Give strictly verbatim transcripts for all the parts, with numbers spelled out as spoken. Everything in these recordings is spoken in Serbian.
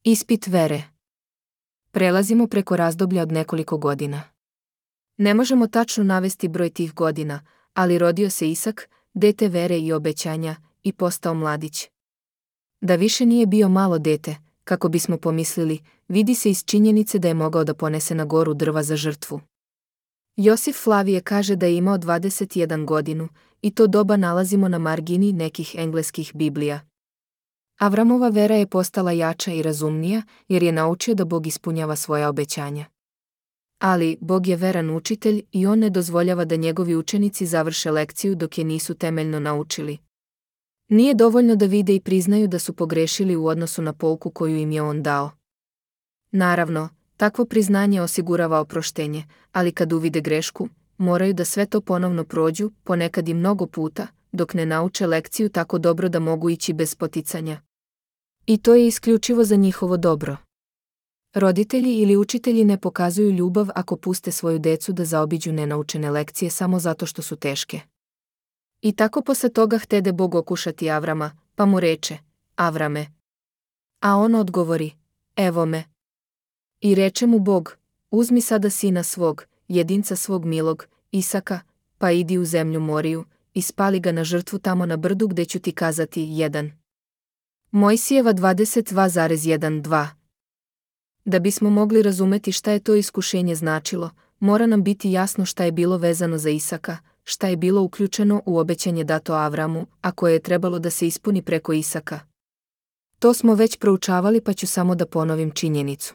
Ispit vere. Prelazimo preko razdoblja od nekoliko godina. Ne možemo tačno navesti broj tih godina, ali rodio se Isak, dete vere i obećanja, i postao mladić. Da više nije bio malo dete, kako bismo pomislili, vidi se iz činjenice da je mogao da ponese na goru drva za žrtvu. Josif Flavije kaže da je imao dvadeset jednu godinu, i to doba nalazimo na margini nekih engleskih Biblija. Avramova vera je postala jača i razumnija, jer je naučio da Bog ispunjava svoja obećanja. Ali, Bog je veran učitelj i on ne dozvoljava da njegovi učenici završe lekciju dok je nisu temeljno naučili. Nije dovoljno da vide i priznaju da su pogrešili u odnosu na pouku koju im je on dao. Naravno, takvo priznanje osigurava oproštenje, ali kad uvide grešku, moraju da sve to ponovno prođu, ponekad i mnogo puta, dok ne nauče lekciju tako dobro da mogu ići bez poticanja. I to je isključivo za njihovo dobro. Roditelji ili učitelji ne pokazuju ljubav ako puste svoju decu da zaobiđu nenaučene lekcije samo zato što su teške. I tako posle toga htede Bog okušati Avrama, pa mu reče: Avrame. A on odgovori: Evo me. I reče mu Bog: Uzmi sada sina svog, jedinca svog milog, Isaka, pa idi u zemlju Moriju, i spali ga na žrtvu tamo na brdu gde ću ti kazati. jedan. Mojsijeva dvadeset dva jedanaest. Da bismo mogli razumeti šta je to iskušenje značilo, mora nam biti jasno šta je bilo vezano za Isaka, šta je bilo uključeno u obećanje dato Avramu, a koje je trebalo da se ispuni preko Isaka. To smo već proučavali, pa ću samo da ponovim činjenicu.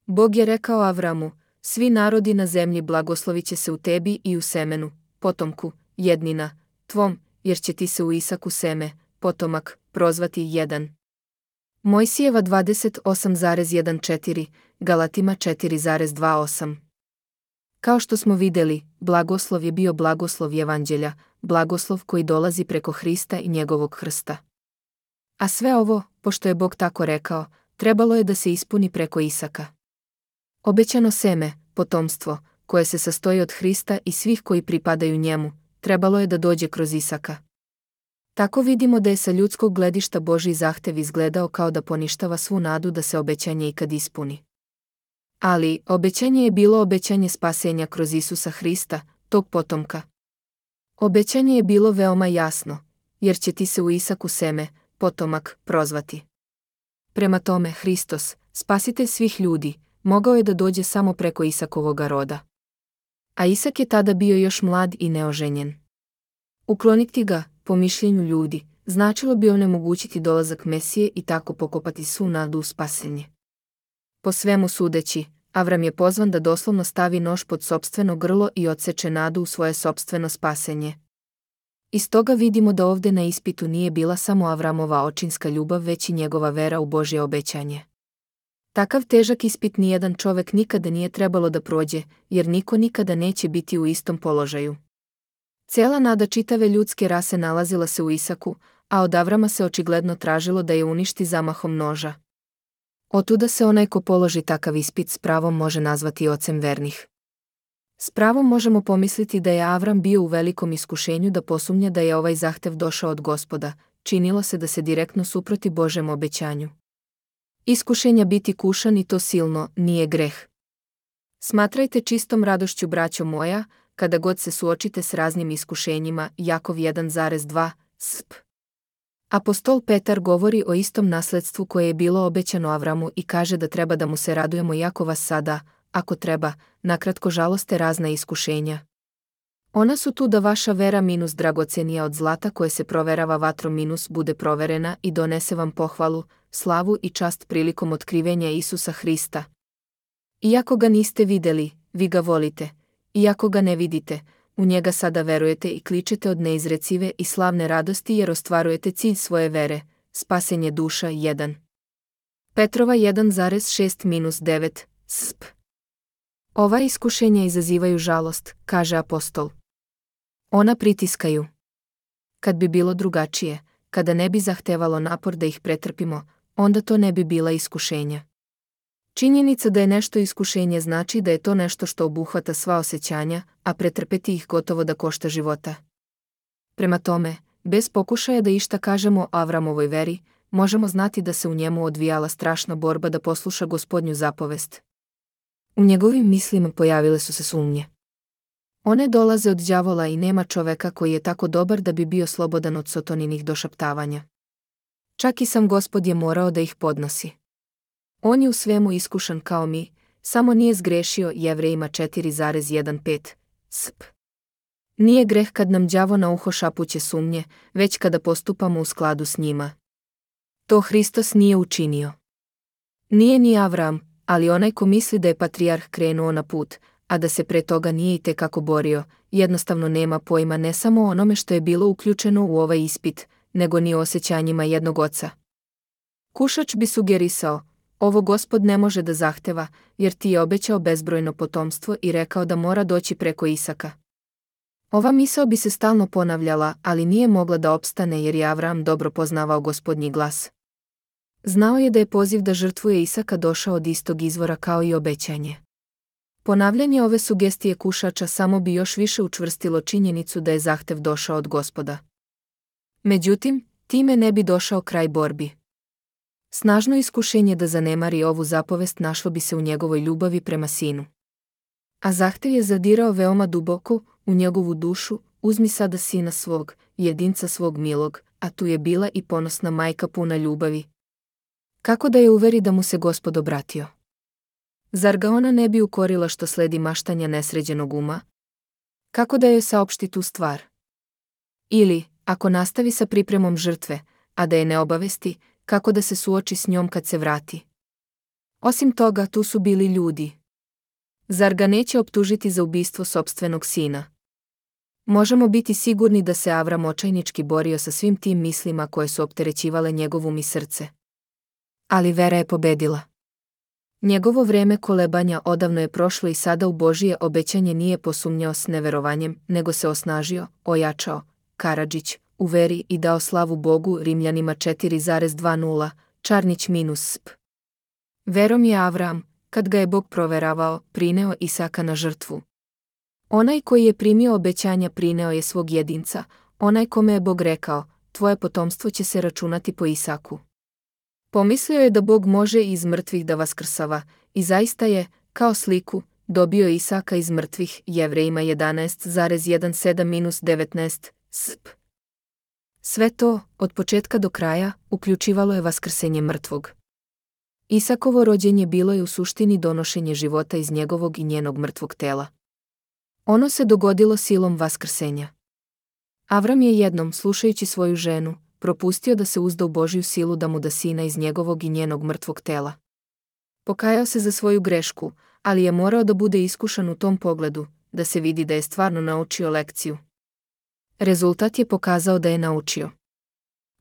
Bog je rekao Avramu: Svi narodi na zemlji blagoslovit će se u tebi i u semenu, potomku, jednina, tvom, jer će ti se u Isaku seme, potomak, prozvati. jedan. Mojsijeva dvadeset osam četrnaest, Galatima četiri dvadeset osam. Kao što smo vidjeli, blagoslov je bio blagoslov Evanđelja, blagoslov koji dolazi preko Hrista i njegovog krsta. A sve ovo, pošto je Bog tako rekao, trebalo je da se ispuni preko Isaka. Obećano seme, potomstvo, koje se sastoji od Hrista i svih koji pripadaju njemu, trebalo je da dođe kroz Isaka. Tako vidimo da je sa ljudskog gledišta Božji zahtev izgledao kao da poništava svu nadu da se obećanje ikad ispuni. Ali, obećanje je bilo obećanje spasenja kroz Isusa Hrista, tog potomka. Obećanje je bilo veoma jasno, jer će ti se u Isaku seme, potomak, prozvati. Prema tome, Hristos, spasitelj svih ljudi, mogao je da dođe samo preko Isakovoga roda. A Isak je tada bio još mlad i neoženjen. Ukloniti ga, po mišljenju ljudi, značilo bi onemogućiti dolazak Mesije i tako pokopati svu nadu u spasenje. Po svemu sudeći, Avram je pozvan da doslovno stavi nož pod sopstveno grlo i odseče nadu u svoje sopstveno spasenje. Iz toga vidimo da ovde na ispitu nije bila samo Avramova očinska ljubav, već i njegova vera u Božje obećanje. Takav težak ispit nijedan čovek nikada nije trebalo da prođe, jer niko nikada neće biti u istom položaju. Cijela nada čitave ljudske rase nalazila se u Isaku, a od Avrama se očigledno tražilo da je uništi zamahom noža. Otuda se onaj ko položi takav ispit s pravom može nazvati ocem vernih. S pravom možemo pomisliti da je Avram bio u velikom iskušenju da posumnja da je ovaj zahtev došao od Gospoda, činilo se da se direktno suproti Božjem obećanju. Iskušenja biti kušan i to silno nije greh. Smatrajte čistom radošću, braćo moja, kada god se suočite s raznim iskušenjima. Jakov jedan dva sp. Apostol Petar govori o istom nasledstvu koje je bilo obećano Avramu i kaže da treba da mu se radujemo iako vas sada, ako treba, nakratko žaloste razna iskušenja. Ona su tu da vaša vera minus dragocenija od zlata koje se proverava vatrom minus bude proverena i donese vam pohvalu, slavu i čast prilikom otkrivenja Isusa Hrista. Iako ga niste vidjeli, vi ga volite. Iako ga ne vidite, u njega sada verujete i kličete od neizrecive i slavne radosti jer ostvarujete cilj svoje vere, spasenje duša. jedan. Petrova jedan šest devet sp. Ova iskušenja izazivaju žalost, kaže apostol. Ona pritiskaju. Kad bi bilo drugačije, kada ne bi zahtevalo napor da ih pretrpimo, onda to ne bi bila iskušenja. Činjenica da je nešto iskušenje znači da je to nešto što obuhvata sva osjećanja, a pretrpeti ih gotovo da košta života. Prema tome, bez pokušaja da išta kažemo o Avramovoj veri, možemo znati da se u njemu odvijala strašna borba da posluša Gospodnju zapovest. U njegovim mislima pojavile su se sumnje. One dolaze od đavola i nema čoveka koji je tako dobar da bi bio slobodan od Sotoninih došaptavanja. Čak i sam Gospod je morao da ih podnosi. On je u svemu iskušan kao mi, samo nije zgrešio. Jevrejima četiri pet. Sp. Nije greh kad nam đavo na uho šapuće sumnje, već kada postupamo u skladu s njima. To Hristos nije učinio. Nije ni Avram, ali onaj ko misli da je patrijarh krenuo na put, a da se pre toga nije i tekako borio, jednostavno nema pojma ne samo o onome što je bilo uključeno u ovaj ispit, nego ni o osjećanjima jednog oca. Kušač bi sugerisao, ovo Gospod ne može da zahteva, jer ti je obećao bezbrojno potomstvo i rekao da mora doći preko Isaka. Ova misao bi se stalno ponavljala, ali nije mogla da opstane jer je Avram dobro poznavao Gospodnji glas. Znao je da je poziv da žrtvuje Isaka došao od istog izvora kao i obećanje. Ponavljanje ove sugestije kušača samo bi još više učvrstilo činjenicu da je zahtev došao od Gospoda. Međutim, time ne bi došao kraj borbi. Snažno iskušenje da zanemari ovu zapovest našlo bi se u njegovoj ljubavi prema sinu. A zahtev je zadirao veoma duboko u njegovu dušu, uzmi sada sina svog, jedinca svog milog, a tu je bila i ponosna majka puna ljubavi. Kako da je uveri da mu se Gospod obratio? Zar ga ona ne bi ukorila što sledi maštanja nesređenog uma? Kako da joj saopšti tu stvar? Ili, ako nastavi sa pripremom žrtve, a da je ne obavesti, kako da se suoči s njom kad se vrati? Osim toga, tu su bili ljudi. Zar ga neće optužiti za ubistvo sopstvenog sina? Možemo biti sigurni da se Avram očajnički borio sa svim tim mislima koje su opterećivale njegov um i srce. Ali vera je pobedila. Njegovo vreme kolebanja odavno je prošlo i sada u Božije obećanje nije posumnjao s neverovanjem, nego se osnažio, ojačao, Karadžić, u veri i dao slavu Bogu. Rimljanima četiri dvadeset. Čarnić minus sp. Verom je Avram, kad ga je Bog proveravao, prineo Isaka na žrtvu. Onaj koji je primio obećanja prineo je svog jedinca, onaj kome je Bog rekao, tvoje potomstvo će se računati po Isaku. Pomislio je da Bog može iz mrtvih da vaskrsava, i zaista je, kao sliku, dobio Isaka iz mrtvih. Jevrejima jedanaest sedamnaest devetnaest. Sp. Sve to, od početka do kraja, uključivalo je vaskrsenje mrtvog. Isakovo rođenje bilo je u suštini donošenje života iz njegovog i njenog mrtvog tela. Ono se dogodilo silom vaskrsenja. Avram je jednom, slušajući svoju ženu, propustio da se uzda u Božju silu da mu da sina iz njegovog i njenog mrtvog tela. Pokajao se za svoju grešku, ali je morao da bude iskušan u tom pogledu, da se vidi da je stvarno naučio lekciju. Rezultat je pokazao da je naučio.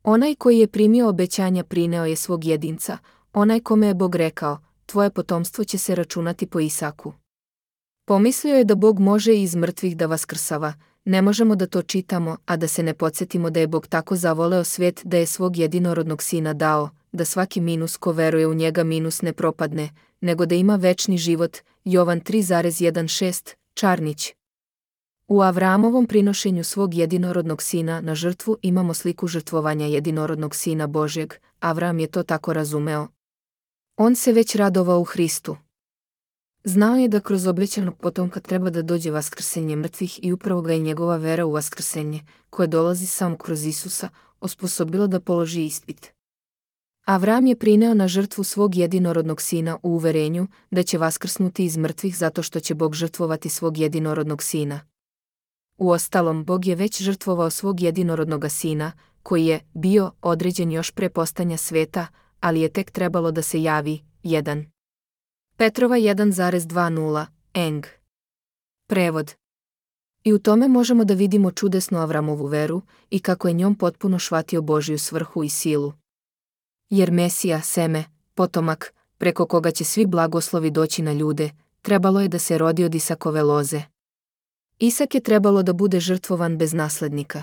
Onaj koji je primio obećanja prineo je svog jedinca, onaj kome je Bog rekao, tvoje potomstvo će se računati po Isaku. Pomislio je da Bog može iz mrtvih da vaskrsava, ne možemo da to čitamo, a da se ne podsjetimo da je Bog tako zavoleo svijet da je svog jedinorodnog sina dao, da svaki minus ko veruje u njega minus ne propadne, nego da ima večni život. Jovan tri šezdeset. Čarnić. U Avramovom prinošenju svog jedinorodnog sina na žrtvu imamo sliku žrtvovanja jedinorodnog sina Božjeg. Avram je to tako razumeo. On se već radovao u Hristu. Znao je da kroz obećanog potomka treba da dođe vaskrsenje mrtvih i upravo ga je njegova vera u vaskrsenje, koje dolazi samo kroz Isusa, osposobilo da položi ispit. Avram je prineo na žrtvu svog jedinorodnog sina u uverenju da će vaskrsnuti iz mrtvih zato što će Bog žrtvovati svog jedinorodnog sina. Uostalom, Bog je već žrtvovao svog jedinorodnoga sina, koji je bio određen još pre postojanja sveta, ali je tek trebalo da se javi. jedan. Petrova jedan dvadeset. Eng. Prevod. I u tome možemo da vidimo čudesnu Avramovu veru i kako je njom potpuno shvatio Božju svrhu i silu. Jer Mesija, seme, potomak, preko koga će svi blagoslovi doći na ljude, trebalo je da se rodi od Isakove loze. Isak je trebalo da bude žrtvovan bez naslednika.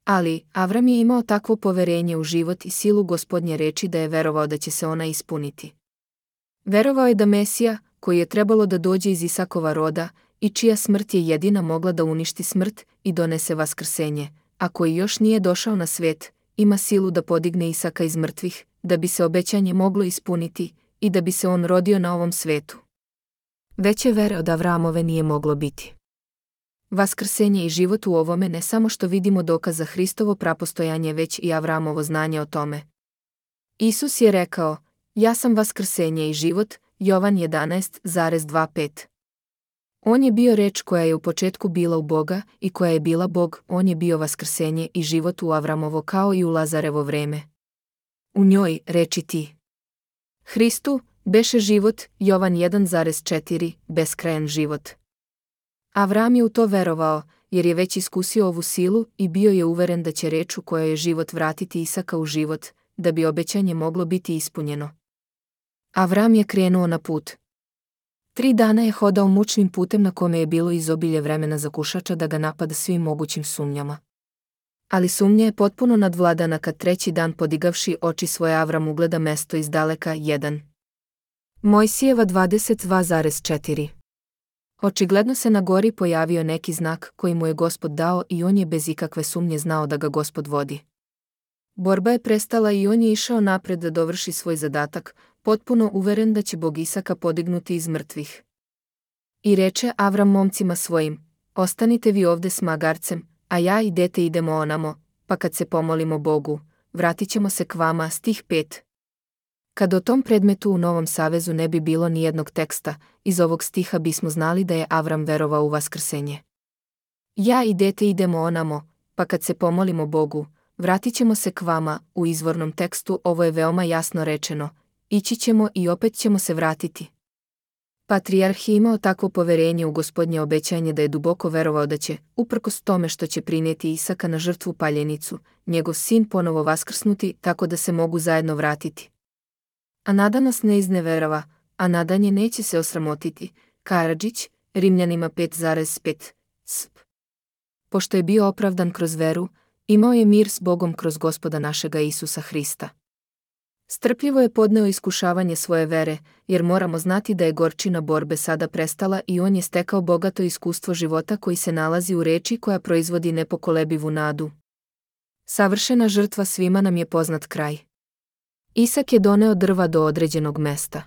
Ali, Avram je imao takvo poverenje u život i silu Gospodnje reči da je verovao da će se ona ispuniti. Verovao je da Mesija, koji je trebalo da dođe iz Isakova roda i čija smrt je jedina mogla da uništi smrt i donese vaskrsenje, a koji još nije došao na svet, ima silu da podigne Isaka iz mrtvih, da bi se obećanje moglo ispuniti i da bi se on rodio na ovom svetu. Veće vere od Avramove nije moglo biti. Vaskrsenje i život u ovome ne samo što vidimo dokaz za Hristovo prapostojanje, već i Avramovo znanje o tome. Isus je rekao, ja sam vaskrsenje i život, Jovan jedanaest dvadeset pet. On je bio reč koja je u početku bila u Boga i koja je bila Bog, on je bio vaskrsenje i život u Avramovo kao i u Lazarevo vreme. U njoj, reči ti. Hristu, beše život, Jovan jedan četiri, beskrajan život. Avram je u to verovao, jer je već iskusio ovu silu i bio je uveren da će reč u kojoj je život vratiti Isaka u život, da bi obećanje moglo biti ispunjeno. Avram je krenuo na put. Tri dana je hodao mučnim putem na kome je bilo izobilje vremena za kušača da ga napada svim mogućim sumnjama. Ali sumnja je potpuno nadvladana kad treći dan podigavši oči svoje Avram ugleda mesto iz daleka. jedan. Mojsijeva dvadeset dva četiri. Očigledno se na gori pojavio neki znak koji mu je Gospod dao i on je bez ikakve sumnje znao da ga Gospod vodi. Borba je prestala i on je išao napred da dovrši svoj zadatak, potpuno uveren da će Bog Isaka podignuti iz mrtvih. I reče Avram momcima svojim, ostanite vi ovde s magarcem, a ja i dete idemo onamo, pa kad se pomolimo Bogu, vratit ćemo se k vama. Stih pet. Kad o tom predmetu u Novom savezu ne bi bilo ni jednog teksta, iz ovog stiha bismo znali da je Avram verovao u vaskrsenje. Ja i dete idemo onamo, pa kad se pomolimo Bogu, vratit ćemo se k vama. U izvornom tekstu ovo je veoma jasno rečeno, ići ćemo i opet ćemo se vratiti. Patrijarh je imao takvo poverenje u Gospodnje obećanje da je duboko verovao da će, uprkos tome što će prinijeti Isaka na žrtvu paljenicu, njegov sin ponovo vaskrsnuti tako da se mogu zajedno vratiti. A nada nas ne izneverava, a nadanje neće se osramotiti. Karadžić, Rimljanima pet pet. Sp. Pošto je bio opravdan kroz veru, imao je mir s Bogom kroz Gospoda našega Isusa Hrista. Strpljivo je podneo iskušavanje svoje vere, jer moramo znati da je gorčina borbe sada prestala i on je stekao bogato iskustvo života koji se nalazi u reči koja proizvodi nepokolebivu nadu. Savršena žrtva svima nam je poznat kraj. Isak je doneo drva do određenog mesta.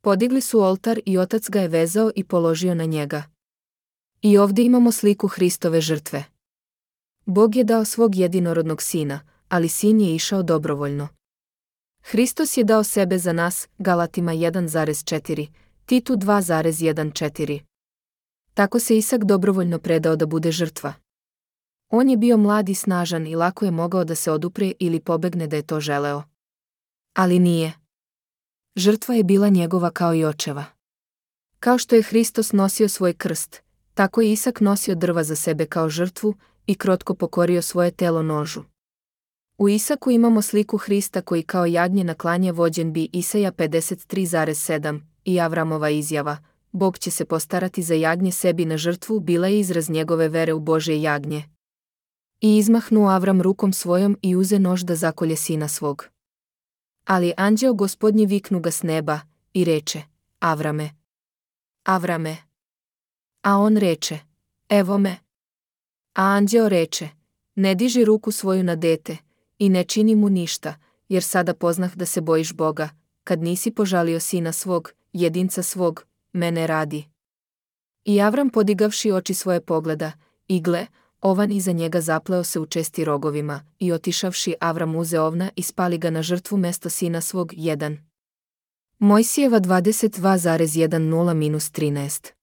Podigli su oltar i otac ga je vezao i položio na njega. I ovdje imamo sliku Hristove žrtve. Bog je dao svog jedinorodnog sina, ali sin je išao dobrovoljno. Hristos je dao sebe za nas, Galatima jedan četiri, Titu dva četrnaest. Tako se Isak dobrovoljno predao da bude žrtva. On je bio mlad i snažan i lako je mogao da se odupre ili pobegne da je to želeo. Ali nije. Žrtva je bila njegova kao i očeva. Kao što je Hristos nosio svoj krst, tako je Isak nosio drva za sebe kao žrtvu i krotko pokorio svoje telo nožu. U Isaku imamo sliku Hrista koji kao jagnje na klanje vođen bi. Isaja pedeset tri sedam i Avramova izjava, Bog će se postarati za jagnje sebi na žrtvu, bila je izraz njegove vere u Božje jagnje. I izmahnuo Avram rukom svojom i uze nož da zakolje sina svog. Ali anđeo Gospodnji viknu ga s neba i reče, Avrame, Avrame. A on reče, evo me. A anđeo reče, ne diži ruku svoju na dete i ne čini mu ništa, jer sada poznah da se bojiš Boga, kad nisi požalio sina svog, jedinca svog, mene radi. I Avram podigavši oči svoje pogleda, i gle, ovan iza njega zapleo se u česti rogovima, i otišavši Avram uze ovna i spali ga na žrtvu mesto sina svog. jedan. Mojsijeva dvadeset dva jedanaest trinaest.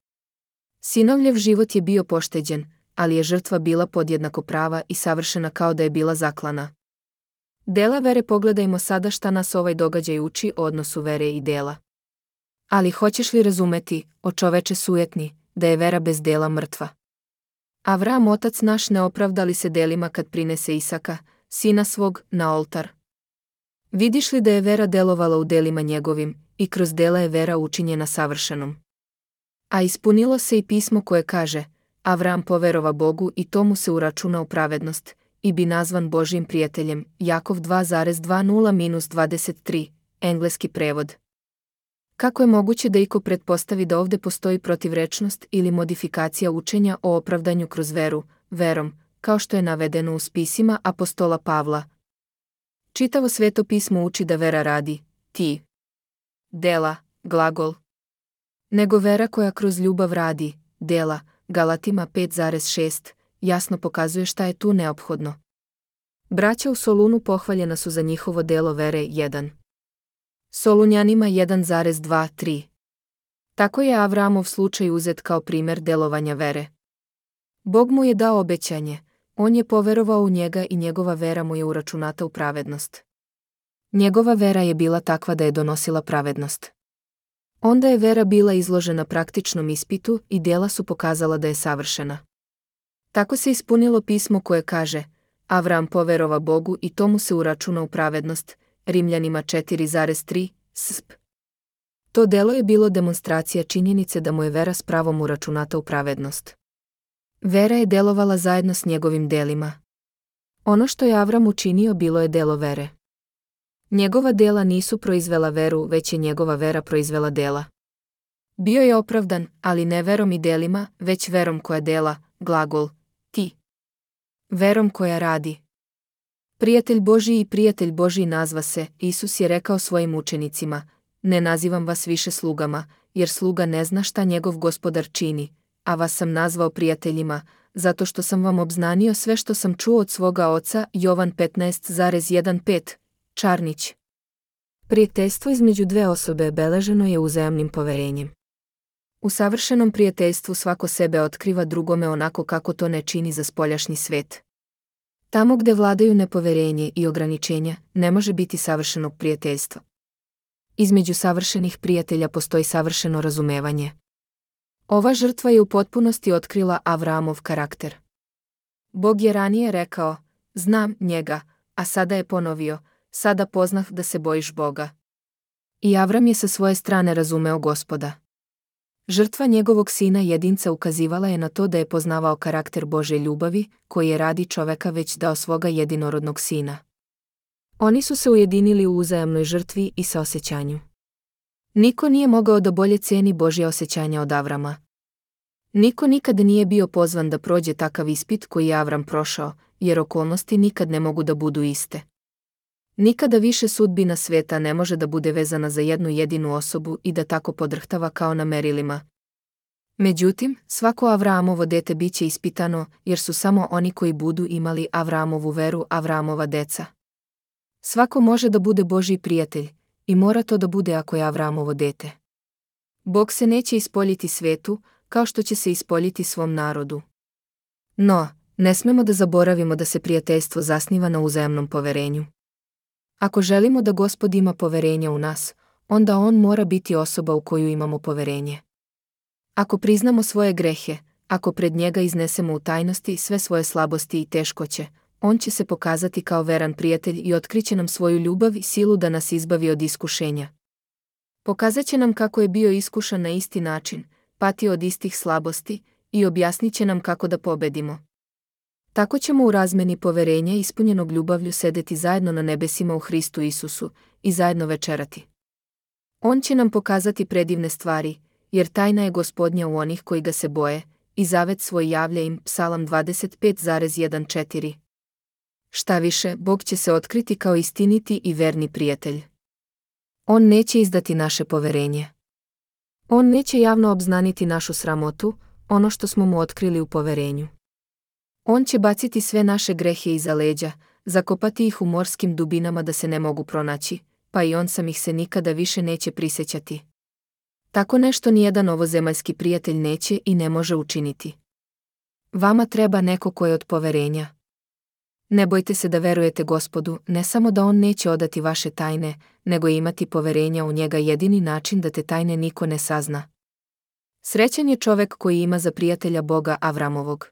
Sinovljev život je bio pošteđen, ali je žrtva bila podjednako prava i savršena kao da je bila zaklana. Dela vere. Pogledajmo sada šta nas ovaj događaj uči o odnosu vere i dela. Ali hoćeš li razumeti, o čoveče sujetni, da je vera bez dela mrtva? Avram otac naš ne opravda li se delima kad prinese Isaka, sina svog, na oltar? Vidiš li da je vera delovala u delima njegovim, i kroz dela je vera učinjena savršenom? A ispunilo se i pismo koje kaže, Avram poverova Bogu i to mu se uračuna u pravednost, i bi nazvan Božjim prijateljem. Jakov dva dvadeset dvadeset tri, engleski prevod. Kako je moguće da iko pretpostavi da ovde postoji protivrečnost ili modifikacija učenja o opravdanju kroz veru, verom, kao što je navedeno u spisima apostola Pavla, Čitavo sveto pismo uči da vera radi, ti. Dela, glagol. Nego vera koja kroz ljubav radi, dela, Galatima pet zarez šest, jasno pokazuje šta je tu neophodno. Braća u Solunu pohvaljena su za njihovo delo vere jedan. Solunjanima jedan zarez dva tri. Tako je Avramov slučaj uzet kao primjer delovanja vere. Bog mu je dao obećanje, on je poverovao u njega i njegova vera mu je uračunata u pravednost. Njegova vera je bila takva da je donosila pravednost. Onda je vera bila izložena praktičnom ispitu i djela su pokazala da je savršena. Tako se ispunilo pismo koje kaže, Avram poverova Bogu i tomu se uračuna u pravednost, Rimljanima četiri zarez tri, sp. To delo je bilo demonstracija činjenice da mu je vera s pravom uračunata u pravednost. Vera je delovala zajedno s njegovim delima. Ono što je Avram učinio bilo je delo vere. Njegova dela nisu proizvela veru, već je njegova vera proizvela dela. Bio je opravdan, ali ne verom i delima, već verom koja dela, glagol, ti. Verom koja radi. Prijatelj Božji i prijatelj Božji nazva se, Isus je rekao svojim učenicima, ne nazivam vas više slugama, jer sluga ne zna šta njegov gospodar čini, a vas sam nazvao prijateljima, zato što sam vam obznanio sve što sam čuo od svoga oca, Jovan petnaest zarez pet, Čarnić. Prijateljstvo između dve osobe beleženo je uzajamnim poverenjem. U savršenom prijateljstvu svako sebe otkriva drugome onako kako to ne čini za spoljašnji svet. Tamo gde vladaju nepoverenje i ograničenja, ne može biti savršenog prijateljstva. Između savršenih prijatelja postoji savršeno razumevanje. Ova žrtva je u potpunosti otkrila Avramov karakter. Bog je ranije rekao, znam njega, a sada je ponovio, sada poznah da se bojiš Boga. I Avram je sa svoje strane razumeo Gospoda. Žrtva njegovog sina jedinca ukazivala je na to da je poznavao karakter Božje ljubavi, koji je radi čoveka već dao svoga jedinorodnog sina. Oni su se ujedinili u uzajamnoj žrtvi i saosećanju. Niko nije mogao da bolje ceni Božje osjećanja od Avrama. Niko nikad nije bio pozvan da prođe takav ispit koji je Avram prošao, jer okolnosti nikad ne mogu da budu iste. Nikada više sudbina sveta ne može da bude vezana za jednu jedinu osobu i da tako podrhtava kao na merilima. Međutim, svako Avramovo dete biće ispitano, jer su samo oni koji budu imali Avramovu veru Avramova deca. Svako može da bude Božji prijatelj, i mora to da bude ako je Avramovo dete. Bog se neće ispoljiti svetu, kao što će se ispoljiti svom narodu. No, ne smemo da zaboravimo da se prijateljstvo zasniva na uzajamnom poverenju. Ako želimo da Gospod ima poverenja u nas, onda on mora biti osoba u koju imamo poverenje. Ako priznamo svoje grehe, ako pred njega iznesemo u tajnosti sve svoje slabosti i teškoće, on će se pokazati kao veran prijatelj i otkriće nam svoju ljubav i silu da nas izbavi od iskušenja. Pokazat će nam kako je bio iskušan na isti način, patio od istih slabosti i objasnit će nam kako da pobedimo. Tako ćemo u razmeni poverenja ispunjenog ljubavlju sedeti zajedno na nebesima u Hristu Isusu i zajedno večerati. On će nam pokazati predivne stvari, jer tajna je Gospodnja u onih koji ga se boje, i zavet svoj javlja im, Psalam dvadeset pet zarez četrnaest. Šta više, Bog će se otkriti kao istiniti i verni prijatelj. On neće izdati naše poverenje. On neće javno obznaniti našu sramotu, ono što smo mu otkrili u poverenju. On će baciti sve naše grehe iza leđa, zakopati ih u morskim dubinama da se ne mogu pronaći, pa i on sam ih se nikada više neće prisjećati. Tako nešto nijedan ovozemaljski prijatelj neće i ne može učiniti. Vama treba neko ko je od poverenja. Ne bojte se da verujete Gospodu, ne samo da on neće odati vaše tajne, nego imati poverenja u njega jedini način da te tajne niko ne sazna. Srećan je čovek koji ima za prijatelja Boga Avramovog.